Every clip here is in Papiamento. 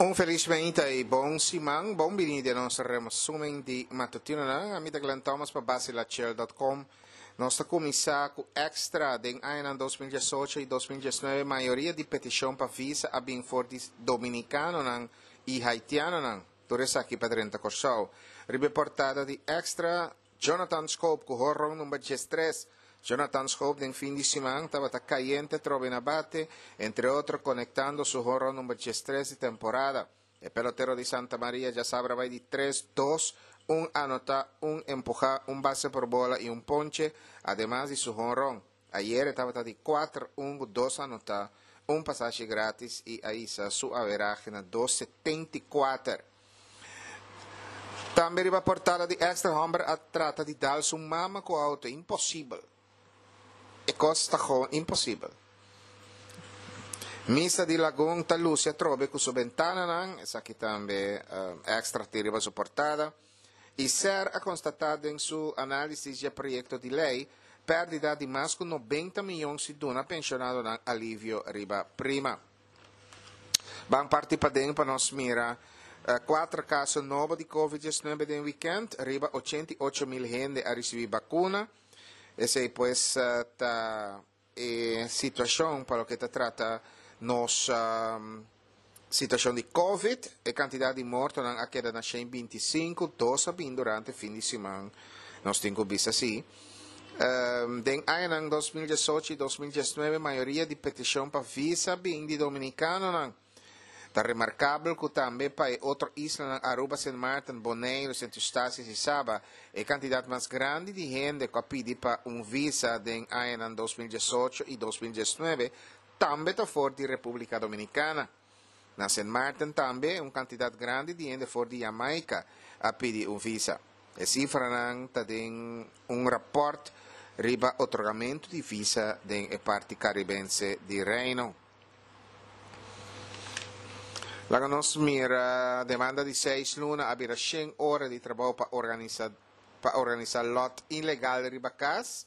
Un felis meinta y bon siman. Bon bini den nos resumen di matutinonan. Ami ta Glenn Thomas pa basilachel.com. Nos ta cuminsa cu extra den añanan 2018 y 2019 mayoria di peticion pa visa a bin for di Dominicanonan y Haitianonan. Tur esaki pa drenta Corsou. Riba e portada di Extra, Jonathan Schoop ku horon number 13. Jonathan Schoop den fin di siman tabata kayente trobe na bate, entre otro konektando su horon number 13 di temporada. E pelotero di Santa Maria djasabra bai di tres, dos, un anotá, un empuhá, un base por bola i un ponche, ademas di su honron. Ayer e tabata di kuater, un ku dos anotá, un pasashi grátis i a hisa su averahe na 2,74. Tambe riba portada di Extra homber a trata di dal su mama ku auto. Imposibel. E kos ta gewoon imposibel. Misa di Lagun ta lusi atrobe ku su bentananan. Esaki tambe Extra tin riba su portada. I ser a konstatá den su análisis dje proyekto di lei pèrdida di mas ku 90 miyon si duna penshonadonan alivio riba prima. Ban parti paden pa nos mira kuater kaso nobo di Covid 19 den wikènt. Riba 88 mil hende a risibí bakuna. Esei pues ta e situashon pa loke ta trata nos situashon di Covid. E kantidat di mortonan a keda na 125, dos a bin durante fin di siman, nos tin ku bisa si. Den añanan 2018 i 2019 mayoria di petishon pa visa bin di dominikanonan. Ta remarkabel ku tambe pa e otro islanan Aruba, Sint Maarten, Boneiru, Sint Eustatius i Saba e kantidat mas grandi di hende ku a pidi pa un visa den añanan 2018 i 2019 tambe ta for di Repúblika Dominikana. Na Sint Maarten tambe un kantidat grandi di hende for di Jamaica a pidi un visa. E sifranan ta den un rapòrt riba otorgamentu di visa den e parti karibense di Reino. Laga nos mira demanda di seis luna a bira 100 ora di trabou pa organisá lòt ilegal riba kas.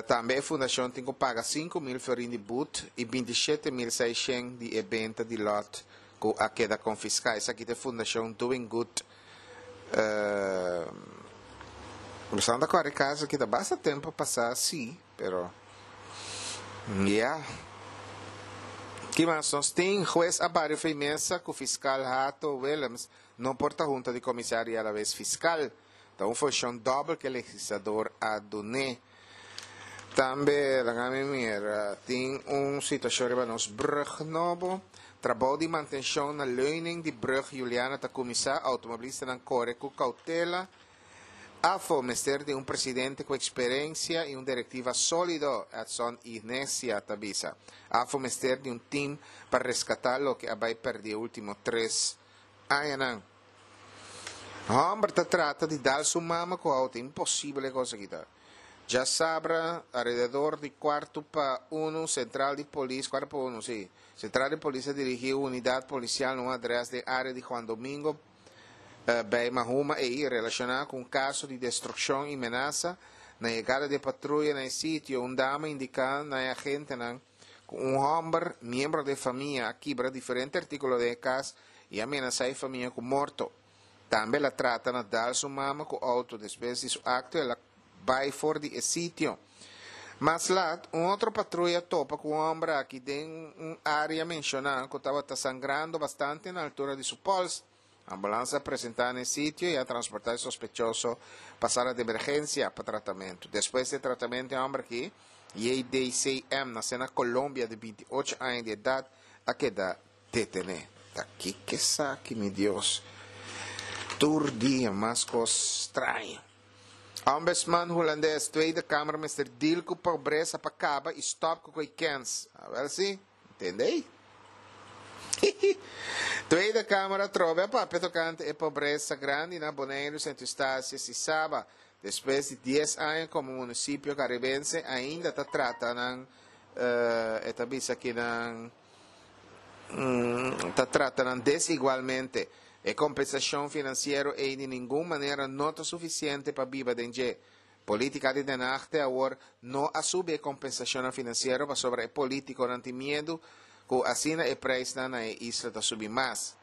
Tambe e fundashon tin ku paga 5 mil florin di but i 27.600 di e benta di lòt ku a keda konfiská. Esaki ta fundashon Doing Good. Santa Clara kaso kita basta tempu pasá sí, pero ya. Ki mas nos tin? Hues a bari fo'i mesa ku fiskal Hato Willems no por ta hunta di komisario i a la vez fiskal. Ta un funshon dòbel ku e legislador a dun'é. Tambe, laga mi mira, tin un situashon riba nos brùg nobo. Trabou di mantenshon na leuning di brùg Juliana ta kuminsá. Outomobilistanan kore ku koutela. AFO mester di un presidente ku eksperensia i un direktiva sólido, Edson Ignesia ta bisa. AFO mester di un tim pa reskatá loke a bai pèrdí e último 3 añanan. Hòmber ta trata di dal su mama ku outo. Imposibel e kos aki ta. Djasabra, alrededor di 12:45, sentral di polis, 12:45, sí. Sentral di polis a dirigí unidat polisial na un adrès den área di Juan Domingo, bij Mahuma ei, relashoná ku un kaso di destrukshon i menasa. Na yegada di patruya na e sitio, un dama a indiká na e agentenan ku un hòmber, miembro di famia, a kibra diferente artíkulo den kas i a menasá e famia ku morto. Tambe el a trata na dal su mama ku outo. Despues di su akto, el a bai for di e sitio. Mas lat, un otro patruya a topa ku un hòmber aki den un área menshoná ku tabata sangrando bastante na altura di su pòls. Ambulans a presentá na e sitio i a transportá e sospechoso pa sala di emergensia pa tratamentu. Despues di e tratamentu, e hòmber aki, JDCM, nasé na Colombia di 28 aña di edat, a keda detené. Ta kiko esaki, mi Dios? Tur dia mas kos straño. Ombudsman hulandes, Tweede Kamer mester deal ku pobresa pa kaba i stòp ku ko'i kens. Awèl sí, entendé? Tweede Kamer a trobe a papia tokante e pobresa grandi na Boneiru, Sint Eustatius i Saba. Despues di 10 aña komo munisipio karibense ainda ta trata nan, e ta bisa ku nan ta trata nan desigualmente. E kompensashon finansiero ei di ningun manera no ta sufisiente pa biba den dje. Polítika di Den Haag te awor no a subi e kompensashonnan finansiero pasobra e polítikonan tin miedu. ku asina e preisnan na e isla ta subi mas.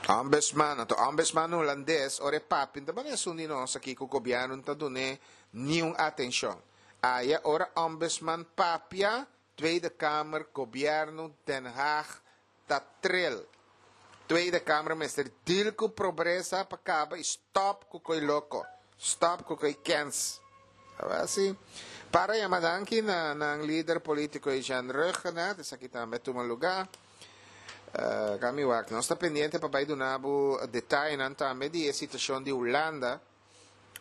Ombudsman, anto ombudsman hulandes ora e papia no ta bani esun di nos aki ku gobièrnu no ta dun'é niun atenshon. Aya ora ombudsman papia, Tweede Kamer, gobièrnu, Den Haag ta tril. Tweede Kamer mester deal ku probresa pa kaba i stòp ku koi loko, stòp ku koi kens. Awel si. Para yama danki na nan lider politico Jean Ruggenaath, esaki tambe a tuma luga. Kami wak, nos ta pendiente pa bai duna bo detayenan tambe di e situacion di Hulanda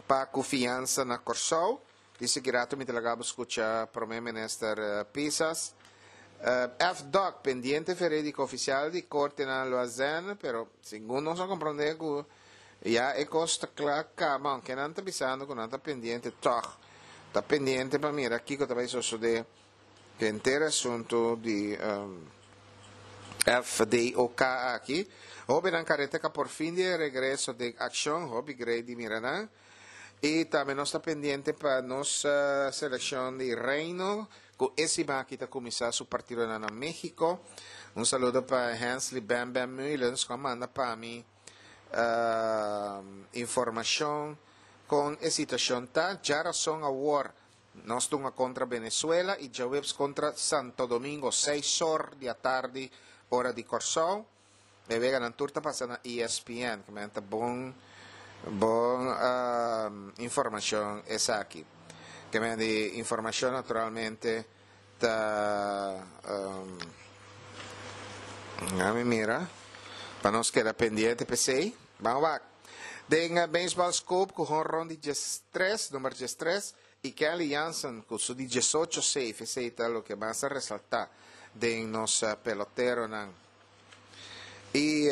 pa cu fiansa na Corsou. Di sigui rato mi ta laga bo scucha Prome Minister Pisas. FDOK, pendiente veredicto oficial di Corte na Loazenne, pero segun nos a comprende cu Ya e kos ta kla kaba, aunke nan ta bisando ku nan ta pendiente tòg ta pendiente pa mira kiko ta bai sosodé ku henter asuntu di FDOK aki. Hóbennan kareteka por fin di e regreso den akshon, hopi grei di mira nan. I tambe nos ta pendiente pa nos selekshon di Reino ku e siman aki ta kuminsá su partidonan na México. Un saludo pa Hensley Bam Bam Meulens ku a manda pa mi. Informashon kon e situashon ta. Djarason awor nos tunga kontra Venezuela i djaweps kontra Santo Domingo seis or di atardi ora di Kòrsou. E weganan tur ta pasa na ESPN. Ke men ta bon bon informashon esaki. Ke men di informashon naturalmente Ta mi mira pa nos keda pendiente p'esei. Ban wak. Den Baseball Scope ku honron di diestres, number diestres, i Kenley Jansen ku su di diesocho save. Esei ta loke mas a resaltá den nos peloteronan. I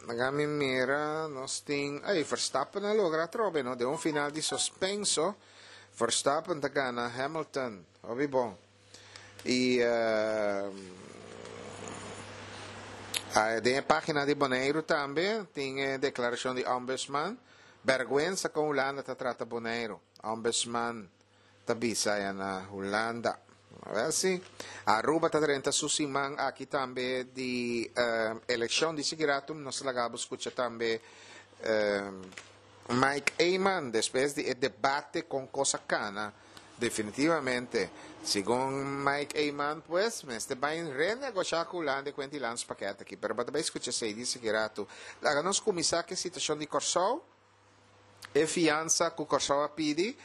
laga mi mira nos tin, ey, Verstappen a logra atrobe no den un final di suspenso. Verstappen ta gana Hamilton. Hopi bon. I den e pagina di Boneiru tambe tin e deklarashon di Ombudsman. Bergwensa kon Hulanda ta trata Boneiru. Ombudsman ta bisa aya na Hulanda. Awel si. Aruba ta drenta su siman aki tambe di elekshon. Di sigui rato nos ta laga bo skucha tambe Mike Eman despues di e debate con cos a cana definitivamente. Segun Mike Eman pues mester bay renegosha cu Hulanda e cuenta y landspakket aki. Pero bo ta bay scucha esey di sigui rato. Laga nos cuminsa cu e situacion di Corsou. E fiansa cu Corsou a pidi.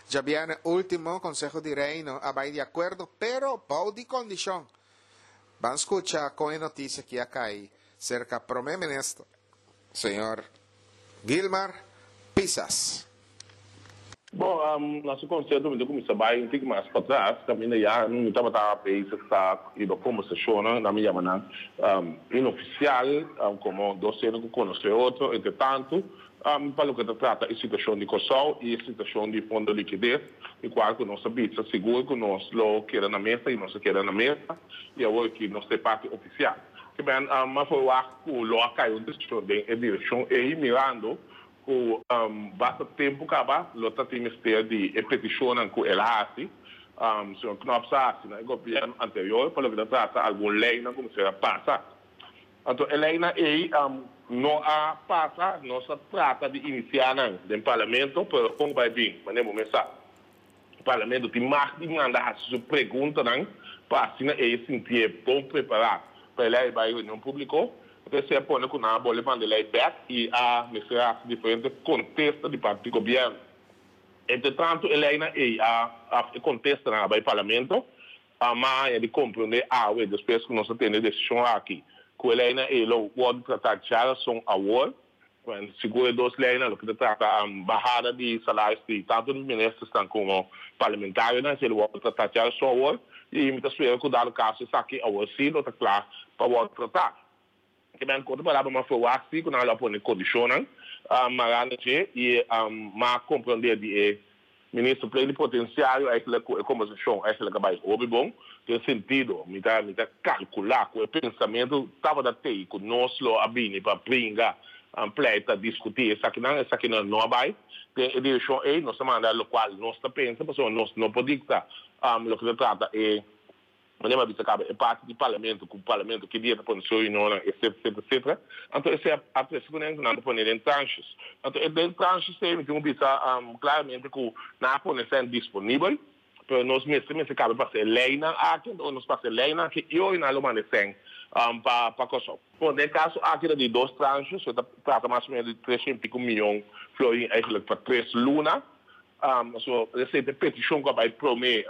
Djabierne ultimo Conseho di Reino a bay di acuerdo pero bou di condicion. Ban scucha con e noticia aki a cay cerca Prome Minister señor Gilmar Pisas. Bon, na su konsepto mi ta kuminsá bai un tiki mas patras, kaminda ya mi tabata bezig ta riba kombersashonnan, nan mi yama nan inofisial, komo dos hende ku konosé otro entre tantu, pa loke ta trata e situashon di Kòrsou i e situashon di Fondo Likides, di kual ku nos a bisa sigur ku nos lo keda na mesa i nos a keda na mesa i awor aki nos ta e parti ofisial. Ke men a ferwagt ku lo a kai un desishon den e direkshon ei mirando ku basta tempu kaba lo ta tin mester di e petishonnan ku el a hasi, señor Knops a hasi na e gobièrnu anterior pa loke ta trata algun leinan ku mester a pasa. Anto e leinan ei no a pasa, nos a trata di inisiá nan den parlamento pero kon bai bin manera bo mes sa. Parlamento tin mag di manda hasi su preguntanan pa asina e sintié bon prepará pa e lei bai reunion públiko. Esei a pone ku nan a bolbe manda e lei bèk i a mester hasi diferente kontesta di parti di gobièrnu. Entretantu e leinan ei a òf e kontestanan a bai Parlamento. Ma haña di komprondé awe despues ku nos a tene e desishon aki ku e leinan ei lo wòrdu tratá djarason awor. Bueno, sigur e dos leynan loke ta trata bahada di salaris di tanto di ministersnan como parlamentarionan esei lo wòrdu tratá djaduson awor y mi ta spera cu dado caso esaki awor si lo ta cla pa wòrdu tratá. Ke men cu otro palabra m'a ferwagt si cu nan lo a pone condicionnan mará na dje y m'a comprende di e Minister plenipotenciario eigenlijk cu e conversacion eigenlijk a bay hopi bon den sentido mi ta mi ta calcula cu e pensamento tabata tey cu nos lo a bini pa bringa pleita discuti esakinan esakinan no a bay den e direccion ey nos a manda locual nos ta pensa pasobra nos no por dicta loke ta trata e. Manera mi a bisa caba e parti di Parlamento cu Parlamento ki dia ta pone su reunionnan etc etc etc. Anto esey a trece cu nan cu nan ta pone den tranches. Anto e den tranches ey mi tin cu bisa claramente cu nan a pone esey disponibel pero nos mester mester caba pasa e leynan aki anto ora nos pasa e leynan aki y ora nan lo manda esey pa pa Corsou. Bon den e caso aki ta di dos tranches so e ta trata mas o menos di tres shen pico miyon florin eigenlijk pa tres luna. So esei ta e petishon ku a bai promé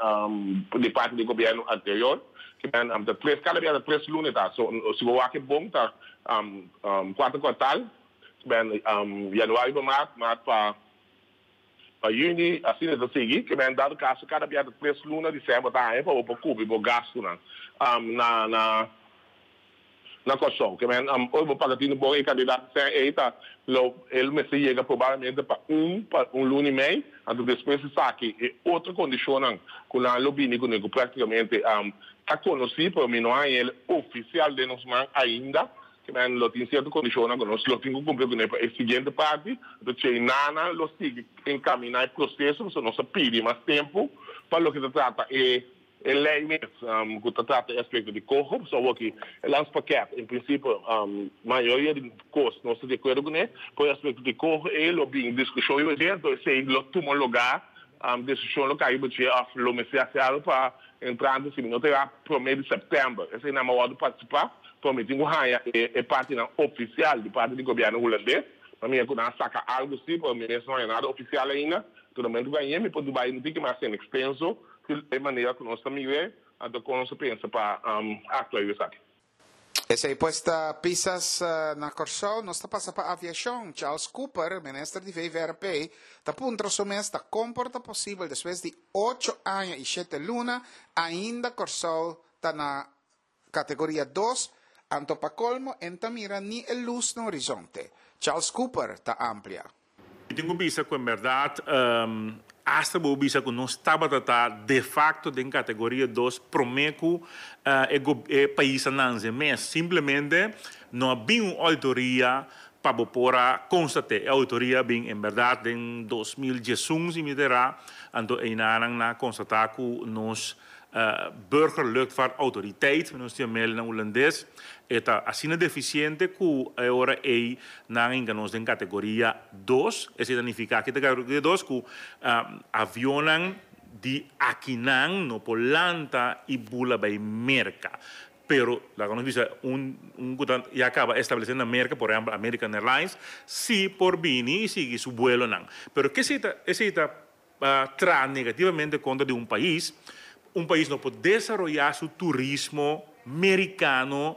di parti di gobièrnu anterior. Ke men ta tres, kada bia ta tres luna e ta. So si bo wak e bon ta kuarto kuartal, ben yanuari pa mart, mart pa pa yüni, asina e ta sigui. Ke men dado kaso kada bia ta tres luna di sèn bo ta haña pa bo por kubri bo gastunan na na. Na Kòrsou. Ke men ora bo paga tinu bon e kandidat sèn ei ta lo el mester yega probablemente pa un pa un luna i mei, anto despues esaki e otro kondishonnan ku nan lo bini kuné ku praktikamente ta konosí pero mi no haña el ofisial den nos man ainda. Ke men lo tin sierto kondishonnan ku nos lo tin ku kumpli kuné pa e siguiente parti. Anto chei nana lo sigui enkaminá e proseso pasobra nos a pidi mas tempu pa loke ta trata e E lei mes ku ta trata e aspekto di koho, pasobra awor ki e landspakket en prinsipio mayoria di kos nos ta di akuerdo kuné, pero e aspekto di koho ei lo bin diskushon riba dje, enton esei lo tuma lugá, desishon lo kai riba dje òf lo mester hasi algu pa entrante si mi no ta erá promé di sèptèmber. Esei nan a wòrdu partisipá, pero mi tin ku haña e partinan ofisial di parti di gobièrnu hulandes, pa mira ku nan a saka algu si, pero mi mes no haña nada ofisial ainda, enton na momento ku hañ'é mi por bai un tiki mas en ekstenso. Ki e manera ku nos ta mir'é, anto kon nos ta pensa pa aktua riba esaki? Esei pues ta Pisas na Kòrsou. Nos ta pasa pa aviashon. Charles Cooper, minister di VVRP, ta puntra su mes ta kon por ta posibel despues di ocho aña i shete luna ainda Kòrsou ta na Kategoria dos, anto pa kolmo en ta mira ni e lus na horizonte. Charles Cooper ta amplia. Mi tin ku bisa ku en bèrdat asta bo bisa ku nos tabata ta de fakto den kategoria dos promé ku e pais a nanse mes. Simplemente no a bin un oitoria pa bo por a konstat'é. E oitoria a bin en bèrdat den 2011 si mi ta erá, anto einanan nan a konstatá ku nos Burgerluchtvaartautoriteit, nos tin mel na hulandes, e ta asina defisiente ku e ora ei nan a hinka nos den kategoria dos. Esei ta nifiká ki ta kategoria dos? Ku avionnan di akinan no por lanta i bula bai Merka. Pero laga nos bisa un un ku ta ya kaba establesé na Merka, por ehèmpel American Airlines, si por bini i sigui su buelonan. Pero ke esei ta esei ta Pa traha negativamente kontra di un pais, un pais no por desaroyá su turismo merikano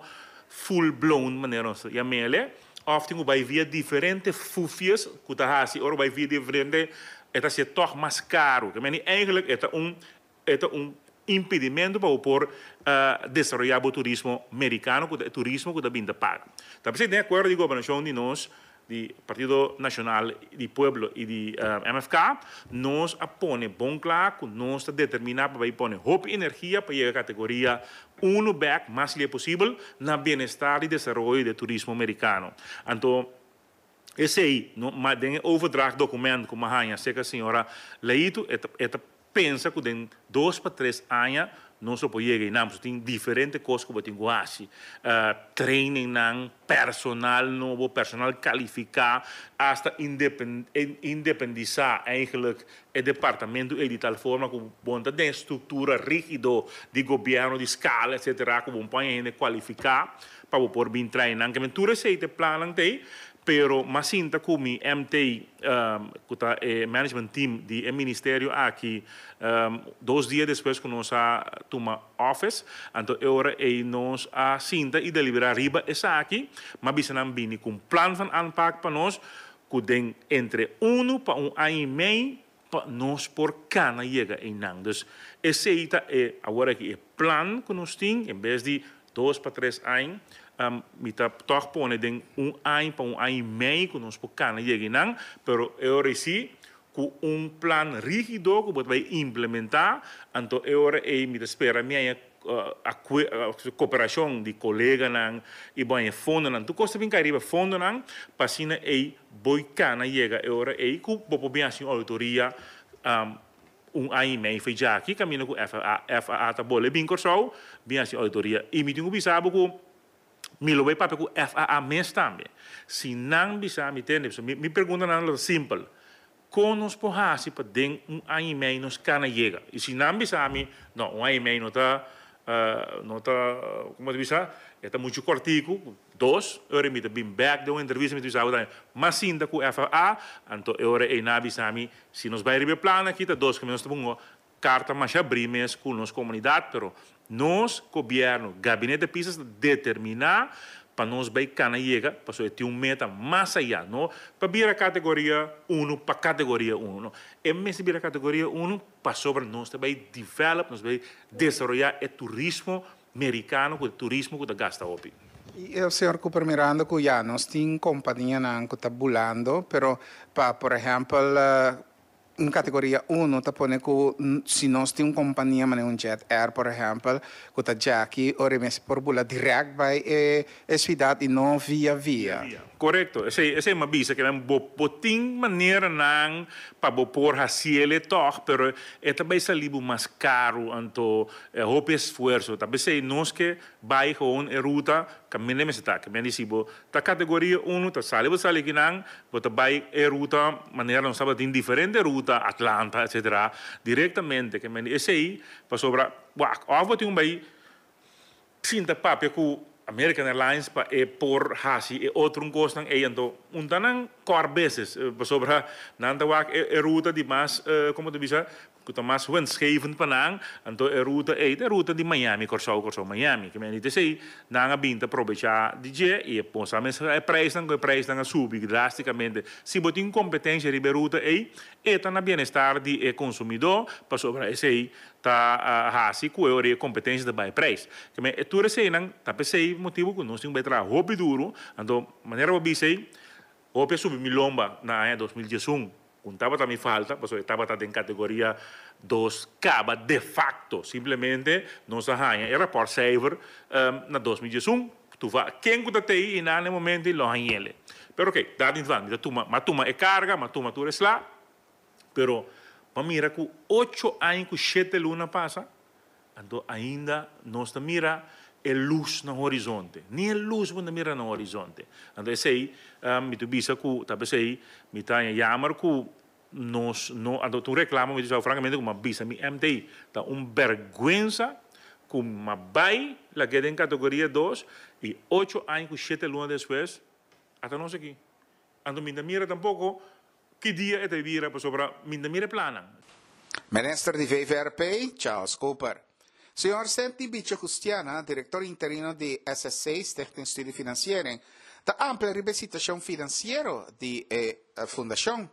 full blown manera nos ta yam'ele, òf tin ku bai via diferente fufies ku ta hasi ora bai via diferente e ta hasié tòg mas karu. Ke meni eigentlik e ta un e ta un impedimentu pa bo por desaroyá bo turismo merikano ku ta e turismo ku ta bin ta paga. Ta p'esei den akuerdo di gobernashon di nos di Partido Nashonal di Pueblo i di MFK, nos a pone bon kla ku nos ta determiná pa bai pone hopi energia pa yega kategoria unu bèk mas lie posibel na bienestar di desaroyo di e turismo merikano. Anto esei no ma den e overdracht dokument ku mi a haña serka señora Leito e ta e ta Pensa ku den dos pa tres aña nos lo por yega einan, pasobra tin diferente kos ku bo tin ku hasi, trainingnan, personal nobo, personal kalifiká, asta independisá eigenlijk e departamento ei di tal forma ku bo no ta den e struktura rígido di gobièrnu, di skala etsetera, ku bo no por haña hende kualifiká pa bo por bin train nan. Kende tur esei ta e plannan ta ei, pero mas sinta ku mi MT, ku ta e management team di e ministerio aki, dos dia despues ku nos a tuma office, anto e ora ei nos a sinta i deliberá riba esaki, m'a bisa nan bini ku un plan van aanpak pa nos, ku den entre unu pa un aña i mei pa nos por kana yega einan. Dus esei ta e awor aki e plan ku nos tin, en bes di dos pa tres añ, mi ta tòg pone den un añ pa un añ i mei ku nos por kana yega einan, pero e ora ei si ku un plan rígido ku bo ta bai implementá, anto e ora ei mi ta spera mi haña koperashon di koleganan i bo haña fondonan. Tur kos ta bin kai riba fondonan pa asina ei Bo i kana yega e ora ei ku bo por bin hasi un auditoria. Un aña i mei foi djaki kaminda ku FAA FAA ta bole bin Kòrsou bin hasi ouditoria i mi tin ku bisa bo ku mi lo bai papia ku FAA mes tambe. Si nan bisa mi tende pasobra mi preguntanan lo ta simpel, kon nos por hasi pa den un aña i mei nos kana yega? I si nan bisa mi no un aña i mei no ta no ta komo ta bisa e ta muchu kòrtiku. Dos, e ora mi ta bin bek den un entrevista mi ta bisa bo tambe, m'a sinta ku FAA, anto e ora ei nan a bisa mi, si nos bai riba e plan aki ta dos kaminda nos ta pongo karta masha abrí mes ku nos komunidat, pero nos gobièrnu, gabinete Pisas ta determiná pa nos bai kana yega, pasobra e tin un meta mas ayá, no pa bira kategoria unu pa kategoria unu, no, e mester bira kategoria unu pasobra nos ta bai develop, nos ta bai desaroyá e turismo Mericano cu e turismo cu ta gasta hopi. Y señor Cooper mirando cu ya nos tin companianan cu ta bulando pero pa por ehempel un categoria uno ta pone cu si nos tin un compania manera un Jet Air por ehempel cu ta djaki ora e mester por bula direct bay e e ciudad y no via via. Corecto, esey esey m'a bisa ke nan bo bo tin maneranan pa bo por haciele tog pero e ta bay sali bo mas caro anto e hopi esfuerzo ta pesey nos ke bay gewoon e ruta caminda mester ta ke men di si bo ta categoria uno ta sali bo sali kinan bo ta bay e ruta manera nos tabatin diferente ruta Atlanta etcetera directamente ke men di esey pasobra wak of bo tin un bay Sinta papia ku American Airlines pa e por hasi e otro un kosnan ei anto un ta nan kòr beses pasobra nan ta wak e ruta di mas komo ta bisa ku ta mas winstgevend pa nan anto e ruta ei ta e ruta di Miami Kòrsou Kòrsou Miami ke men di t'esei nan a bin ta probechá di dje i e bo sa mes e preisnan ku e preisnan a subi drástikamente si bo tin kompetensha riba e ruta ei e ta na bienestar di e konsumidó pasobra esei ta hasi ku e ora e kompetensia ta bai preis. Ke men e tur eseinan ta p'esei motibu ku nos tin ku bai traha hopi duru, anto manera bo bisa ei, hopi a subi mi lomba na aña 2011, ku tabata mi falta, pasobra e tabata den kategoria dos kaba defakto, simplemente nos a haña e rapòrtcijfer na 2011, tuva ken ku ta tei i nan na e momento ei lo hañ'ele. Pero oke, dat niet van, mi ta tuma, mi a tuma e karga, mi a tuma tur e sla. Pero pa mira ku ocho aña ku shete luna pasa, anto ainda nos ta mira e lus na horizonte. Ni e lus bo no ta mira na horizonte. Anto esei mi ta bisa ku ta p'esei mi ta haña yamer ku nos no, anto ta un reklamo mi ta bisa frankamente ku mi a bisa mi MT ta un bèrgwensa ku mi a bai lag'é den kategoria dos i ocho aña ku shete luna despues ata nos aki. Anto mi ta mira tampoko Ki dia e ta bira pasobra mi ta mira e plannan. Minister di VVRP, Charles Cooper. Señor Senti Bicho Justiana, director interino di SSC, Stichting Studie Financiering, ta amplia riba e situacion financiero di e fundacion.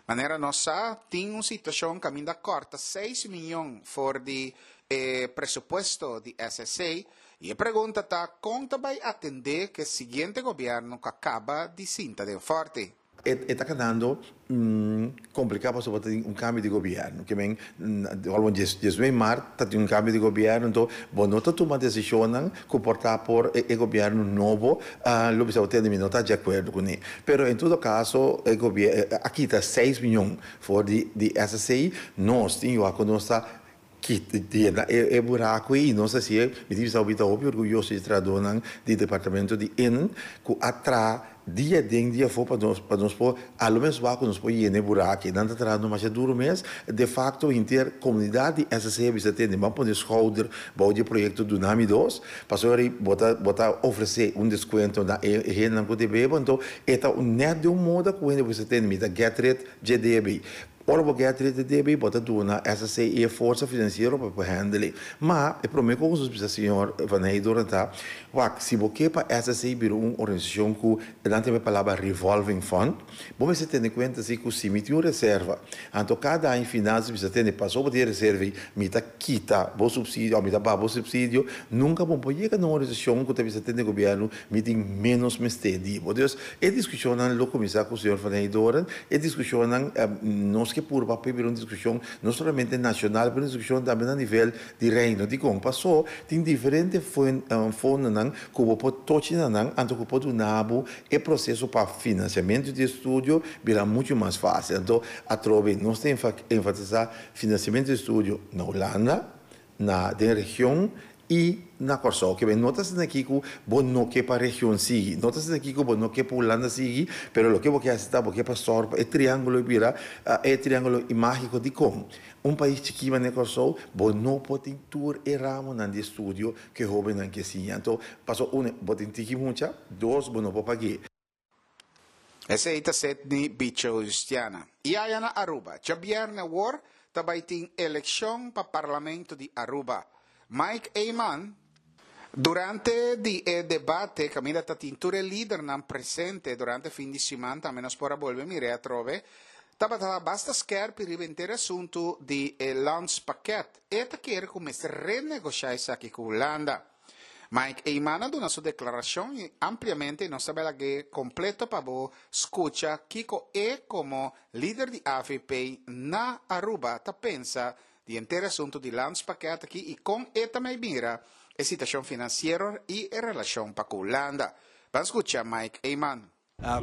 Manera nos sa, tin un situacion caminda corta seis miyon for di e presupuesto di SSC y e pregunta ta con ta bay atende cu e siguiente gobierno cu a caba di sinta den Forti. E ta kedando kompliká pasobra ta tin un kambio di gobièrnu. Ke men algo diesnuebe mart ta tin un kambio di gobièrnu, anto bo no ta tuma desishonnan ku por ta por e gobièrnu nobo lo bisa bo tende mi no ta di akuerdo kuné. Pero en todo kaso e a kita seis miyon for di di SSC, nos tin yu ku nos ta kita yena e buraku ei i nos a hasié, mi tin bisa mi ta hopi orguyoso di trahadónan di departamento di in ku a traha dia aden dia afó pa nos pa nos por a lo mes wak ku nos por yena e buraku ei. Nan ta trahando masha duru mes. De fakto henter komunidat di SSC a bisa tende ban pone skouder bou di e proyekto Dunami dos pasobra ei bo ta bo ta ofresé un deskuento na e hendenan ku debe bo anto e ta nèt di un moda ku hende bo bisa tende mi ta get rid dje debe. Ora bo get rid di debe, bo ta duna SSC e forsa finansiero pa por handle. Ma, e prome kos nos bisa señor Van Heydoorn ta, wak, si bo ke pa SSC bira un organisashon ku nan ta yama e palabra revolving fund, bo mester tene kuenta si ku si mi tin un reserva, anto kada aña finansias bisa tene, pasobra bo tin e reserva ei, mi ta kita bo supsidio òf mi ta baha bo supsidio, nunka bo por yega na un organisashon ku ta bisa tene gobièrnu, mi tin ménos mester di bo. Dus, e diskushonnan lo kuminsá ku señor Van Heydoorn. E diskushonnan nos ke. ke purba pa e bira un diskushon no solamente nashonal pero un diskushon tambe na nivel di Reino. Dikon? Paso tin diferente fondonan ku bo por tochi na nan anto ku por duna bo e proseso pa finansiamentu di estudio bira muchu mas fásil. Anto atrobe nos ta enfatisá finansiamentu di estudio na Hulanda, na den region i na Kòrsou. Ke men no ta asina aki ku bo no ke pa region sigui, no ta asina aki ku bo no ke pa Hulanda sigui, pero loke bo ke hasi ta bo ke pa sòru pa e triángulo bira e triángulo mágiko. Dikon? Un pais chikí manera Kòrsou, bo no por tin tur e ramonan di estudio ku e hóbennan ke siña. Anto, pasobra unu, bo tin tiki mucha, dos, bo no por pag'é. Esei ta Sidney Bicho Justiana. I aya na Aruba, djabièrnè awor ta bai tin elekshon pa Parlamento di Aruba. Mike Eman, Durante di e debate kaminda ta tin tur e lidernan presente durante fin di siman tambe nos por a bolbe mir'é atrobe, tabata basta skèrpi riba henter e asuntu di e landspakket. E ta kere ku mester renegoshá esaki ku Hulanda. Mike Eman a duna su deklarashon i ampliamente i nos ta bai lag'é kompleto pa bo skucha kiko e komo lider di avp na Aruba ta pensa di henter e asuntu di landspakket aki i kon e ta mei mira e situashon finansiero i e relashon pa ku Hulanda. Ban skucha Mike Eman.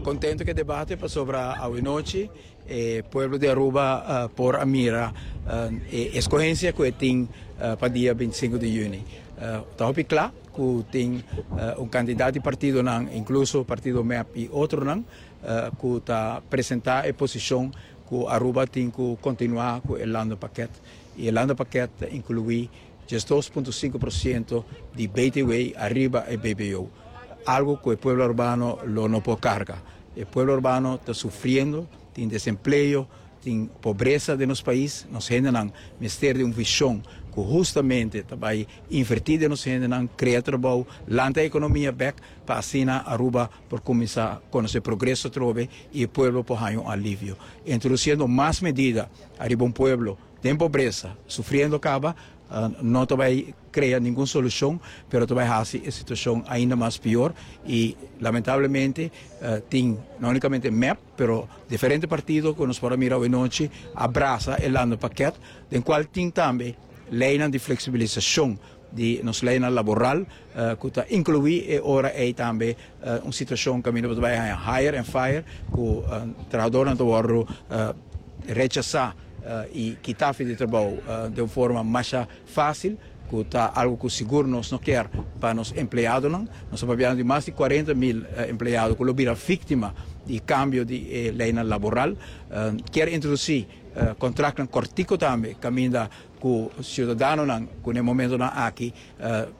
Contento cu e debate pasobra awenochi e pueblo di Aruba por a mira e escogencia cu e tin pa dia 25 di juni. Ta hopi cla cu tin un cantidad di partidonan, incluso partido mep y otronan, cu ta presenta e posicion cu Aruba tin cu continua cu e landenpakket y e landenpakket ta inclui 12.5% di BTW ariba e BBO, algo cu e pueblo Arubano lo no por carga. E pueblo Arubano ta sufriendo, tin desempleo, tin pobresa den nos pais, nos hendenan mester di un vision cu hustamente ta bay inverti den nos hendenan, crea trabou, lanta e economia bek pa asina Aruba por cuminsa conoce progreso atrobe y e pueblo por haña un alivio. Introduciendo mas medida ariba un pueblo den pobresa, sufriendo caba, no ta bay crea ningun solucion, pero ta bay haci e situacion ainda mas pior y lamentablemente tin no unicamente mep, pero diferente partido cu nos por a mira awe nochi a brasa e landenpakket, den cual tin tambe leynan di flexibilisacion di nos leynan laboral cu ta inclui e ora ey tambe un situacion caminda bo ta bay haña hire and fire cu trahadornan ta wordo rechasa y kita fi di trabou den un forma masha facil cu ta algo cu sigur nos no kier pa nos empleadonan. Nos ta papiando di mas di 40,000 empleado cu lo bira victima di cambio di e leynan laboral. Kier introduci contractnan cortico tambe caminda ku siudadanonan ku na e momentonan aki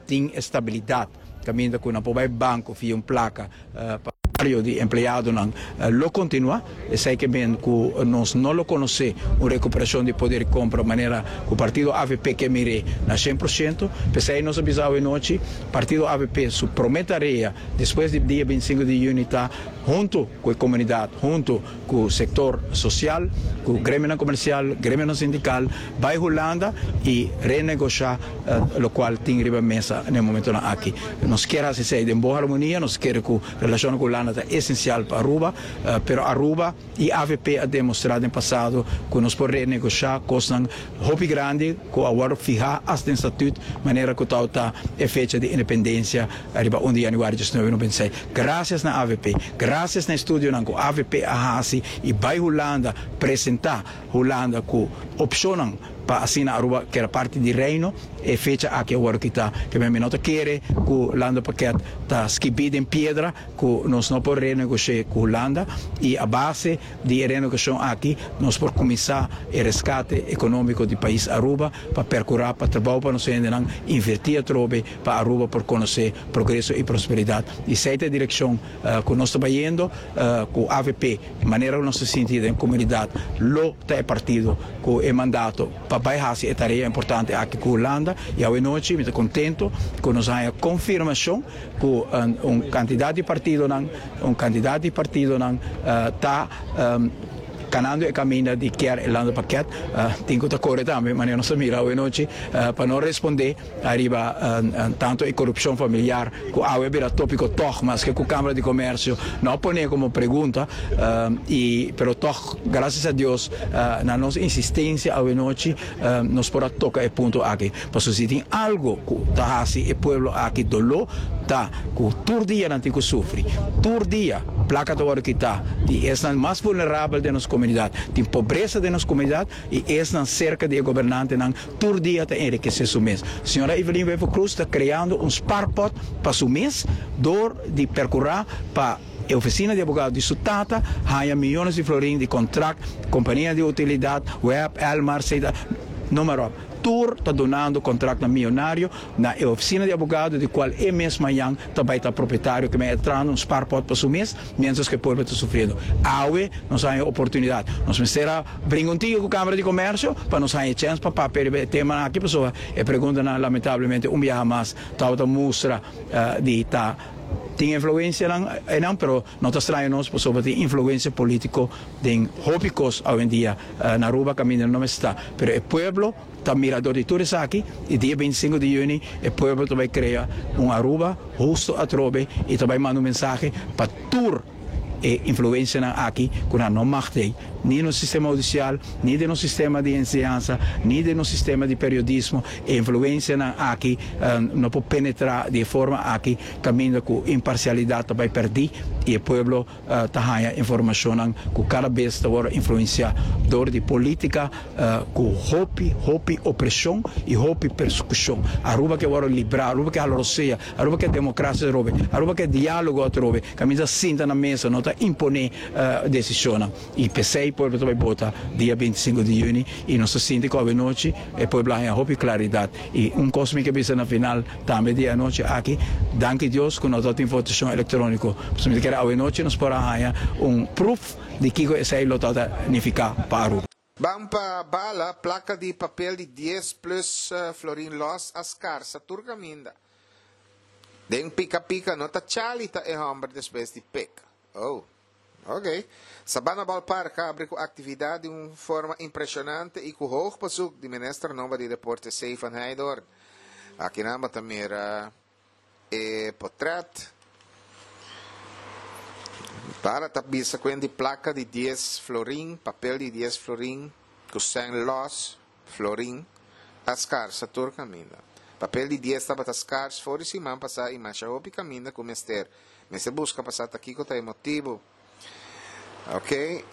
tin e stabilidat kaminda ku nan por bai banko fia un plaka pa salario di empleadonan lo kontinua. Esei ke men ku nos no lo konosé un rekuperashon di poder di kompra manera ku partido avp ke mir'é na 100%. P'esei nos a bisa awe nochi partido avp su promé tarea despues di dia 25 di yüni ta huntu ku e komunidat, huntu ku sektor sosial, ku gremionan komersial, gremionan sindikal, bai Hulanda i renegoshá lokual tin riba mesa na e momentonan aki. Nos kier hasi esei den bon harmonia, nos kere ku relashonnan ku Hulanda ta esensial pa Aruba, pero Aruba i avp a demostrá den pasado ku nos por renegoshá kosnan hopi grandi ku a wòrdu fihá asta den statut manera ku tabata e fecha di independensia riba un di januari 1996. Grasias na avp, grasias na e studionan ku avp a hasi i bai Hulanda presentá Hulanda ku opshonnan pa asina Aruba keda parti di Reino, e fecha aki a wòrdu kitá. Kemey mi no ta kere ku Landenpakket ta skibí den piedra ku nos no por renegosh'é ku Hulanda i a base di e renegosiashon aki nos por kuminsá e reskate ekonómiko di pais Aruba pa perkurá pa trabou pa nos hendenan, invertí atrobe pa Aruba por konosé progreso i prosperidat. I esei ta e direkshon ku nos ta bayendo ku avp. Manera ku nos ta sinti den komunidat lo ta e partido ku e mandato pa bai hasi e tarea importante aki ku Hulanda. I awe nochi mi ta kontento ku nos a haña konfirmashon ku un kantidat di partidonan, un kantidat di partidonan ta. Kanando e kaminda di kier e landenpakket tin ku ta kore tambe, manera nos a mira awe nochi, pa no respondé ariba tantu e korupshon familiar ku awe a bira tópiko tòg, maske ku Kámara di Komèrsio no a pon'é komo pregunta, i pero tòg grasias a Dios na nos insistensia awe nochi nos por a toka e punto aki. Pasobra si tin algu ku ta hasi e pueblo aki doló ta ku tur dia nan tin ku sufri. Tur dia plaka ta wòrdu kitá di esnan mas vulnerabel den nos komunidat. Tin pobresa den nos komunidat i esnan serka di e gobernantenan tur dia ta enrikesé su mes. Señora Evelyn Wever-Croes ta kreando un spaarpot pa su mes dor di perkurá pa e ofisina di abogado di su tata haña miyones di florin di kontrakt, kompania di utilidat, web, Elmar, Ceda, noem maar op. Tur ta dunando kontraktnan miyonario na e ofisina di abogado di kual e mes mañan ta bai ta propietario ku men a trahando un spaarpot pa su mes mientras ku e pueblo ta sufriendo. Awe nos haña e oportunidat. Nos mester a bringa un tiki ku Kamara di Komersio pa nos haña e chèns pa papia riba e temanan aki pasobra e preguntanan lamentablemente un biaha mas tabata mustra di ta tin influencianan einan pero no ta straño nos pasobra tin influencia politico den hopi cos awendia na Aruba caminda no mester ta pero e pueblo ta mira dor di tur esaki y dia 25 di juni e pueblo ta bay crea un Aruba husto atrobe y ta bay manda un mensahe pa tur e influencianan aki cu nan no mag tey ni nos sistema hudicial ni den nos sistema di enseñansa ni den nos sistema di periodismo e influencianan aki no por penetra di e forma aki caminda cu imparcialidad ta bay perdi y e pueblo ta haña informacionnan cu cada bes ta worde influencia door di politica cu hopi hopi opresion y hopi persecucion. Aruba ke worde libra, Aruba ke hala rosea, Aruba ke democracia atrobe, Aruba ke dialogo atrobe, caminda sinta na mesa, no ta impone decisionnan. Y pesey pueblo ta bay bota dia 25 di juni y nos ta sinti cu awenochi e pueblo a haña hopi claridad. Y un cos mi ke bisa na final tambe di e anochi aki, danki Dios cu no ta tin votacion electronico, pasobra mi ta kere awenochi nos por a haña un proef di kico esey lo ta nifica pa Aruba. Ban pa bala, placa di papel di dies plus florin los a scarsa tur caminda. Den pica pica no ta Charlie ta e homber despues di pek. Oh. Ok. Sabana Ballpark a abri cu actividad di un forma impresionante y cu hoog bezoek di Minister nobo di Deporte C. van Heydoorn. Akinan bo ta mira e potret. Para ta bisa cu di placa di dies florin, papel di dies florin, cu cen los, florin, a scarsa tur caminda. Papel di dies tabata scars for di siman pasa y masha hopi caminda cu mester. Mester busca pa sa ta kico ta e motibu. Ok,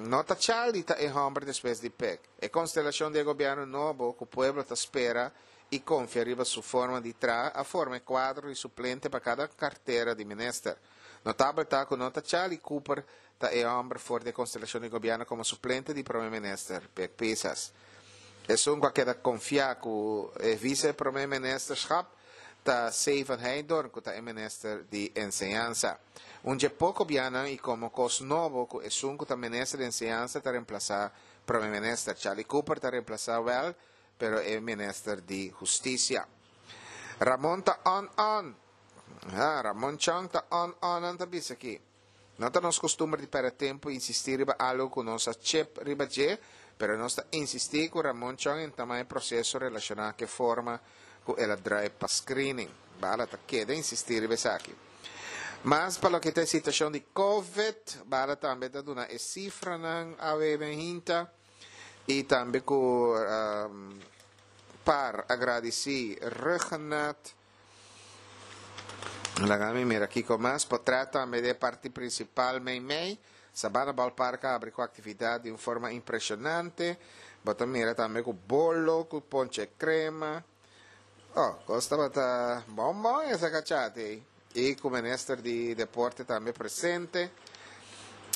no ta Charlie ta e homber despues di Pek. E constelacion di e gobierno nobo cu pueblo ta spera y confia riba su forma di traha a forma e cuadro di suplente pa cada cartera di minister. Notabel ta cu no ta Charlie Cooper ta e homber for di e constelacion di gobierno como suplente di prome minister, Pek Pisas. Esun cu a keda confia cu e vice prome ministerschap ta C. van Heydoorn cu ta e minister di Enseñansa. Un dje poco bianan y como cos nobo cu esun cu ta minister di Enseñansa ta reemplasa Prome Minister. Charlie Cooper ta reemplasa wel pero e minister di Husticia. Ramon ta on on! Ha, Ramon Chong ta on on nan ta bisa aki. No ta nos costumber di perde tempo insisti riba algo cu nos a chep riba dje, pero nos ta insisti cu Ramon Chong entama e proceso relaciona cu e forma cu el a draai pa screening. Bala ta keda insisti riba esaki. Mas pa loke ta e situacion di Covid, Bala tambe ta duna e cifranan awe ben hinta y tambe cu par a gradici Ruggenat. Laga mi mira kiko mas. Potret tambe di e parti principal meimei. Sabana Ballpark a habri cu actividad di un forma impresionante. Bo ta mira tambe cu bolo, cu ponche crema. Oh, cos tabata bon bon esa cachate ei. Y cu minister di deporte tambe presente.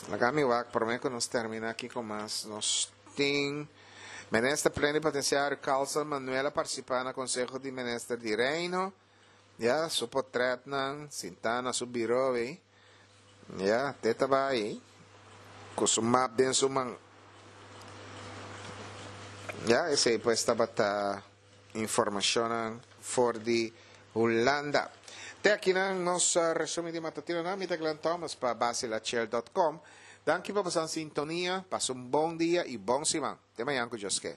Laga mi wak prome cu nos termina kiko mas nos tin. Minister Plenipotenciario Carlson Manuel a participa na Conseho di Minister di Reino. Ya, su potretnan, sintá na su biro ei. Ya, te ta bai cu su map den su man. Ya, esei pues tabata informacionnan for di Hulanda. Te akinan nos resumi di matutinonan. Mi ta Glenn Thomas pa basilachel dot com. Danki pa boso sintonia, pasa un bon dia i bon siman. Te mañan ku Dios ke.